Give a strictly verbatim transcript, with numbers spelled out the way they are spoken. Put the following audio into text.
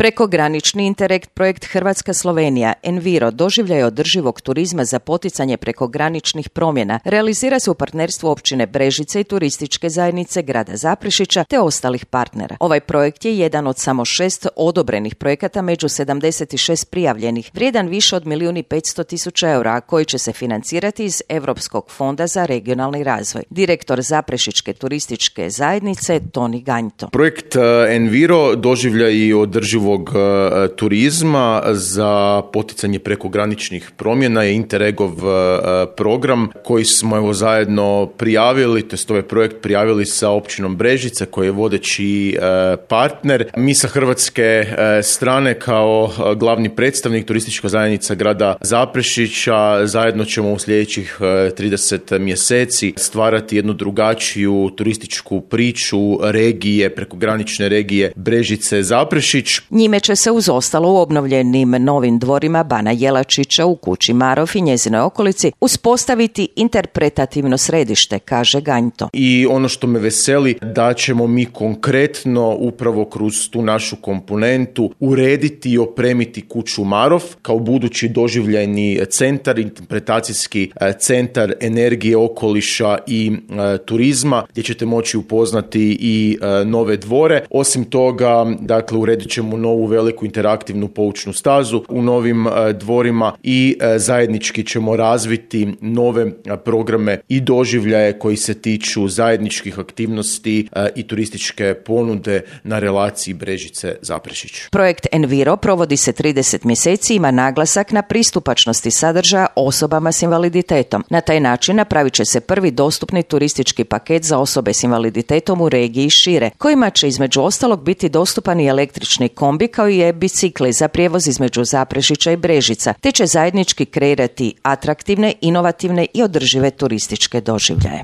Prekogranični Interreg projekt Hrvatska-Slovenija Enviro doživljaj održivog turizma za poticanje prekograničnih promjena realizira se u partnerstvu općine Brežice i turističke zajednice grada Zaprešića te ostalih partnera. Ovaj projekt je jedan od samo šest odobrenih projekata među sedamdeset šest prijavljenih, vrijedan više od milijun i petsto tisuća eura, a koji će se financirati iz Europskog fonda za regionalni razvoj. Direktor Zaprešičke turističke zajednice Toni Ganjto. Projekt Enviro doživljaj održivog turizma za poticanje prekograničnih promjena je Interregov program koji smo evo zajedno prijavili, to jest ovaj projekt prijavili sa općinom Brežice koji je vodeći partner. Mi sa hrvatske strane kao glavni predstavnik turistička zajednica grada Zaprešića zajedno ćemo u sljedećih trideset mjeseci stvarati jednu drugačiju turističku priču regije, prekogranične regije Brežice Zaprešić. Njime će se uz ostalo u obnovljenim novim dvorima Bana Jelačića u kući Marof i njezinoj okolici uspostaviti interpretativno središte, kaže Ganjto. I ono što me veseli da ćemo mi konkretno upravo kroz tu našu komponentu urediti i opremiti kuću Marof kao budući doživljajni centar, interpretacijski centar energije, okoliša i e, turizma gdje ćete moći upoznati i e, nove dvore. Osim toga, dakle, uredit ćemo novu veliku interaktivnu poučnu stazu u novim e, dvorima i e, zajednički ćemo razviti nove e, programe i doživljaje koji se tiču zajedničkih aktivnosti e, i turističke ponude na relaciji Brežice Zaprešić. Projekt Enviro provodi se trideset mjeseci, ima naglasak na pristupačnosti sadržaja osobama s invaliditetom. Na taj način napravit će se prvi dostupni turistički paket za osobe s invaliditetom u regiji i šire, kojima će između ostalog biti dostupan i električni kombi kao i e-bicikli za prijevoz između Zaprešića i Brežica, te će zajednički kreirati atraktivne, inovativne i održive turističke doživljaje.